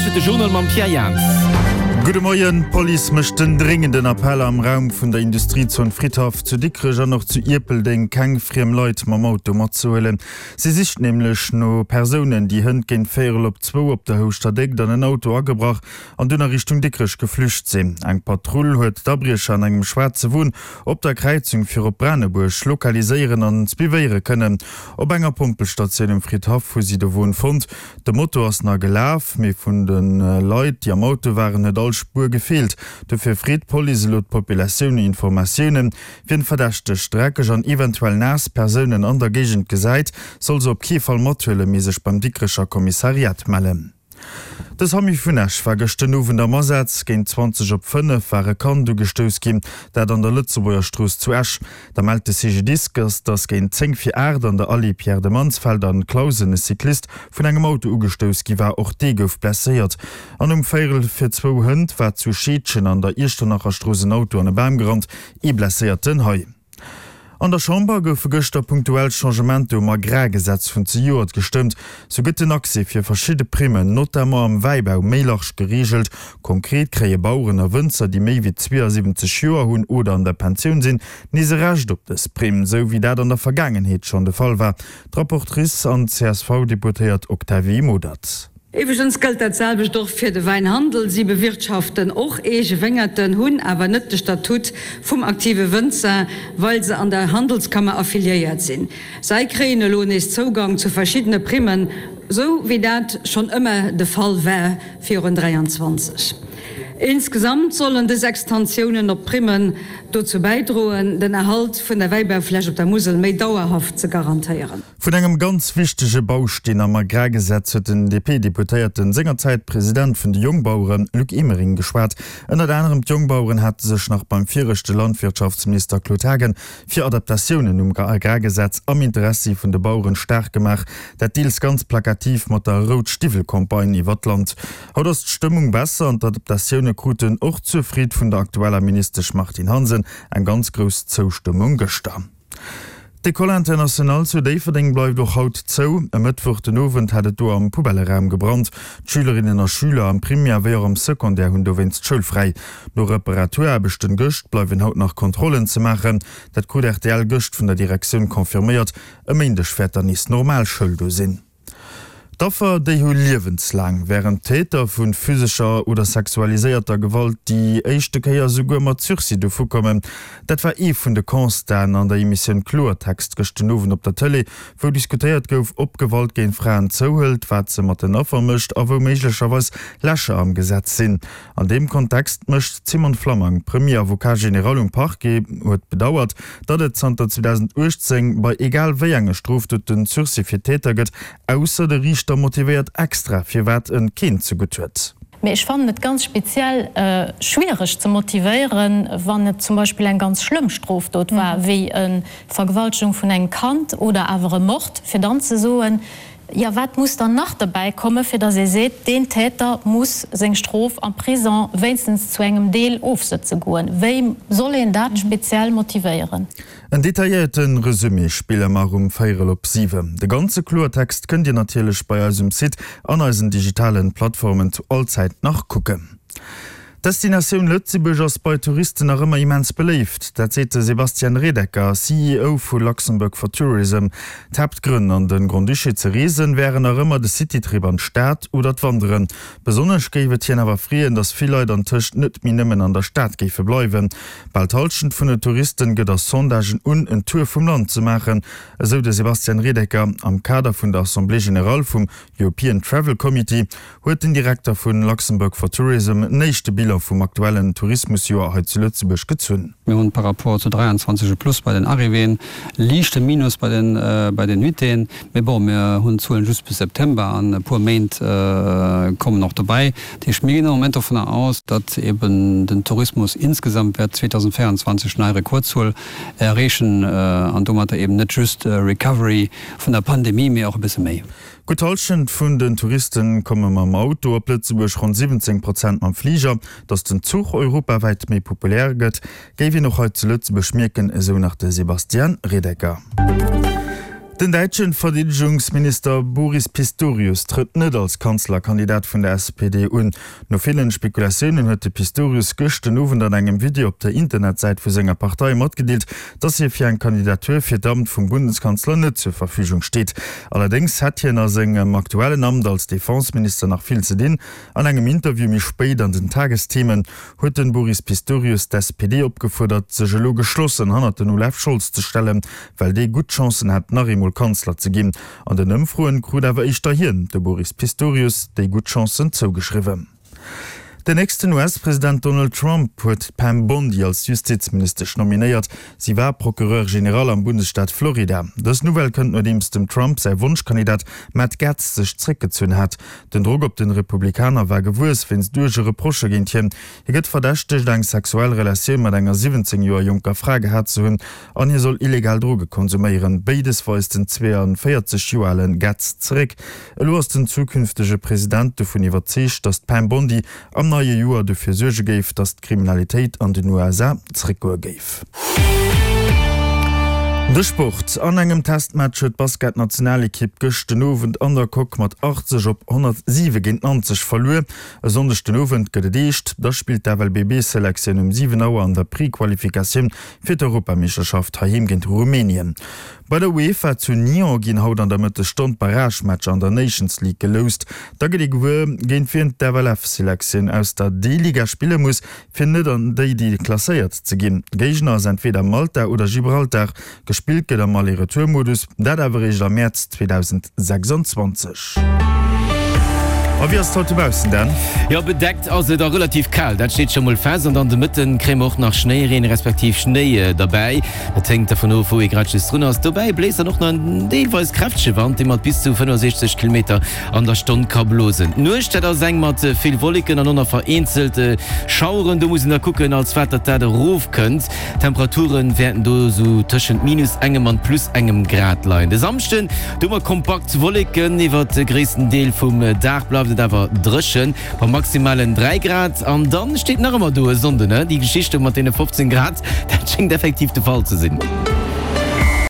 Lauschtert de Journal mam Pierre Jans. Gudde Moien, D'Police mécht den dréngenden Appell, am Raum vun der Industriezon Fridhaff zu Dikrech an och zu Ierpeldeng keng friem Leit mam Auto matzehuelen. Si sicht nämlech no Persounen, déi hënt géint véierel op zwou op der Houschter Déckt an en Auto agebrach an dunn a Richtung Dikrech geflücht sinn. Eng Patrull huet d'Abriecher an engem schwaarze Won op der Kräizung fir op Branebuerg lokaliséieren an suivéiere kënnen. Op enger Pompelstatioun um Fridhaff hu si de Won fonnt. De Moto ass nach gelaf, mee vun de Leit, déi am Auto waren, huet all Spuer gefeelt. Dofir freet d'Police elo d'Populatioun no Informatiounen. Wien verdächteg, dreckeg an eventuell naass Persounen an der Géigend gesäit, soll se op kee Fall mathuelen, mee sech beim Dikrecher Kommissariat mellen. De Samy vun Esch war gëscht den Owend am Asaz. Géint 20 op 5 war e Kand ugestouss ginn, dat an der Lëtzebuerger Strooss zu Esch. Da mellt de CGDIS, dass géint 10 vir 8 an der Allée Pierre de Mansfeld an Clausen e Cyclist vun engem Auto ugestouss gi war. Och dee gouf blesséiert. An um véierel vir zwou hënt war zu Scheedgen an der Iechternacherstrooss en Auto an e Bam gerannt. Ee Blesséierten hei. An der Chamber goufe gëschter punktuell Changementer um Agrargesetz vun zejoert gestëmmt. Sou gëtt den Accès fir verschidde Primmen, notamment am Wäibau, méi large gereegelt. Konkret kréie Baueren a Wënzer, déi méi wéi 72 Joer hunn oder an der Pensioun sinn, nees e Recht op dës Primm, sou wéi dat an der Vergaangenheet schonn de Fall war. D'Rapportrice an CSV-Deputéiert Octavie Modert. Iwwregens gëllt dat selwecht och fir de Wäinhandel. Si bewirtschaften och eege Wéngerten, hunn awer net de Statut vum aktive Wënzer, well se an der Handelskammer affiliéiert sinn. Sei kréien elo nees Zougang zu verschiddene Primmen, sou wéi dat schonn ëmmer de Fall war virun 23. Insgesamt sollen dës Extensiounen op d'Primmen dozou bäidroen, den Erhalt vun der Wäibaufläch op der Musel méi dauerhaft ze garantéieren. Vun engem ganz wichtege Bausteen am Agrargesetz huet den DP-Deputéierten, sengerzäit President vun de Jongbaueren, Luc Emering geschwat. Ënnert anerem d'Jongbaueren hate sech nach beim viregte Landwirtschaftsminister Claude Haagen fir Adaptatiounen um Agrargesetz am Interessi vun de Baueren staark gemaach, dat deels ganz plakativ mat der Rout-Stiwwel-Campagne iwwer d'Land. Haut ass d'Stëmmung besser an d'Adaptatioune kruten och zur Freed vun der aktueller Ministesch Martine Hansen eng ganz grouss Zoustëmmung gëschter. D'École internationale zu Déifferdeng bleift och haut zou. E Mëttwoch den Owend hat et do am Poubelleraum gebrannt. D'Schülerinnen a Schüler am Primär wéi och am Secondaire hunn dowéinst schoulfräi. No Reparaturaarbechten gëscht bleiwen haut nach Kontrollen ze maachen. Dat krut rtl gëscht vun der Direktioun confirméiert. E Méindeg wäert dann nees normal Schoul do sinn. D'Affer, déi hu liewenslaang, wärend d'Täter vu physescher oder sexualiséierter Gewalt déi éischte Kéier souguer mat Sursis dovukommen. Dat war ee vun de Constaten an der Emissioun Kloertext gëscht den Owend op der Tëlee, wou diskutéiert gouf, ob Gewalt géint Fraen zouhëlt, wat se mat den Affer mécht a wou méiglecherweis Lächer am Gesetz sinn. An deem Kontext mécht d'Simone Flammang, Premier Avocat général um Parquet, huet bedauert, datt et zanter 2018 bei egal wéi enge Strofdoten Sursis fir d'Täter gëtt, ausser de Riichter motivéiert extra, firwat en keen zegutt huet. Mee ech fannen et ganz speziell schwiereg ze motivéieren, wann et zum Beispill eng ganz schlëmm Strofdot war, wéi e Vergewaltegung vun engem Kand oder awer e Mord, fir dann ze soen, Jo, wat muss dann nach derbäi kommen, fir datt ee seet, deen Täter muss seng Strof am Prison wéinstens zu engem Deel ofsëtze goen? Wéi soll een dat speziell motivéieren? En detailléierte Resumé spille mer um véierel op siwen. De ganze Kloertext kënnt Dir natierlech bei eis um Site an eisen digitalen Plattformen zu all Zäit nach kucken. D'Destinatioun Lëtzebuerg ass bei Touristen nach ëmmer immens beléift. Dat seet de Sebastian Redecker, CEO vu Luxembourg for Tourism. D'Haaptgrënn an de Grand-Duché ze reesen, wären nach ëmmer de Citytrip an d'Stad oder d'Wanderen. Besonnesch géif et hien awer freeën, datt vill Leit antëscht net méi nëmmen an der Stad géife bleiwen. Bal d'Hallschent vun de Touristen gëtt a Sondagen un, en Tour vum Land ze maachen, esou de Sebastian Redecker am Kader vun der Assemblée générale vum European Travel Committee. Huet den Direkter vu Luxembourg for Tourism en éischte Bilan vum aktuellen Tourismusjoer hei zu Lëtzebuerg gezunn. Mir hunn par rapport zu 23 e Plus bei den Arrivéeën, liichte Minus bei den bei den Nuitéen. Mee bon, mir hunn d'Zuelen just bis September an e puer Méint kommen och dobäi. Dat heescht, mir ginn am Moment dovunner aus, datt eben den Tourismus insgesamt wäert 2024 nei Rekordzuel erreechen an domatter eben net just Recovery vun der Pandemie, mee och e bësse méi. Gutt d'Hallschent vun den Touriste komme mam Auto op Lëtzebuerg, ronn 17 Prozent mam Fliger. Datt den Zuch europawäit méi populär gëtt, géif een och hei zu Lëtzebuerg mierken, esou nach de Sebastian Redecker. Den däitschen Verdeedegungsminister Boris Pistorius trëtt net als Kanzlerkandidat vun der SPD un. No villen Spekulatiounen huet de Pistorius gëscht den Owend an engem Video op der Internetsäit vu senger Partei matgedeelt, dass hie fir eng Kandidatur fir d'Amt vum Bundeskanzler net zur Verfügung steet. Allerdéngs hätt hien a sengem aktuellen Amt als Defenseminister nach vill ze dinn. An engem Interview méi spéit an den Tagesthemen huet den Boris Pistorius d'SPD opgefuerdert, sech elo geschlossen hannert den Olaf Scholz ze stellen, well dee gutt Chancen hätt, nach eemol Kanzler ze ginn. An den Ëmfroen krut awer éischter hien, de Boris Pistorius, déi gutt Chancen zougeschriwwen. Den nächsten US-President Donald Trump huet d'Pam Bondi als Justizministesch nominéiert. Si war Procureur général am Bundesstaat Florida. Dës Nouvelle kënnt nodeems dem Trump säi Wonschkandidat Matt Gaetz sech zréckgezunn hat. Den Drock op den Republikaner war gewuess wéinst uerge Reprochë géint hien. Hie gëtt verdächtegt eng sexuell Relatioun mat enger 17 Joer jonker Fra gehat ze hunn an hie soll illegal Droge konsuméieren. Béides weist den 42 Joer ale Gaetz zeréck. Elo ass den zukünftege President dovun iwwerzeegt, datt d'Pam Bondi am neie Joer dofir suerge géif, datt d'Kriminalitéit an den USA zeréckgoe géif. De Sport, An engem Testmatch huet d'Basketnationalekipp gëscht den Owend an der Coque mat 80 op 107 géint Nanzeg verluer. E Sonndeg den Owend gëtt et eescht, da spillt d'FLBB-Selektioun um 7 Auer an der Prequalifikatioun fir d'Europameeschterschaft heiheem géint Rumänien. Bei der UEFA zu Nyon ginn haut an der Mëttesstonn d'Barragematcher an der Nations League geloust. Da gëtt ee gewuer, géint wien d'FLF-Selektioun aus der D-Liga spille muss, fir net an déi déi klasséiert ze ginn. Géigner ass entweeder Malta oder Gibraltar. Gespillt gëtt am Aller-Retour-Modus, dat awer eréischt am Mäerz 2026. A wéi ass et haut dobaussen, Dan? Jo, bedeckt ass et a relativ kal, dat steet scho mol fest. An dann de Mëtten kréie mer och nach Schnéireen respektiv Schnéi derbäi. Dat hänkt dervun of, wou ee grad just drun ass. Dobäi bléist dann och nach en deelweis kräftege Wand, dee mat bis zu 65 Kilometer an der Stonn ka blosen. D'Nuecht, dat ass eng mat vill Wolleken an och nach vereenzelt Schaueren. Do muss een da kucken, als wat datt dat erofkënnt. D'Temperature wäerten do sou tëschent minus engem an plus engem Grad leien. De Samschden, do hu mer kompakt Wolleken, iwwert de gréissten Deel vum Dag bleift et awer dréchen, bei maximalen 3 Grad. An dann steet nach ëmmer do e Sonnden, déi Geschicht do mat deene 15 Grad, dat schéngt effektiv de Fall ze sinn.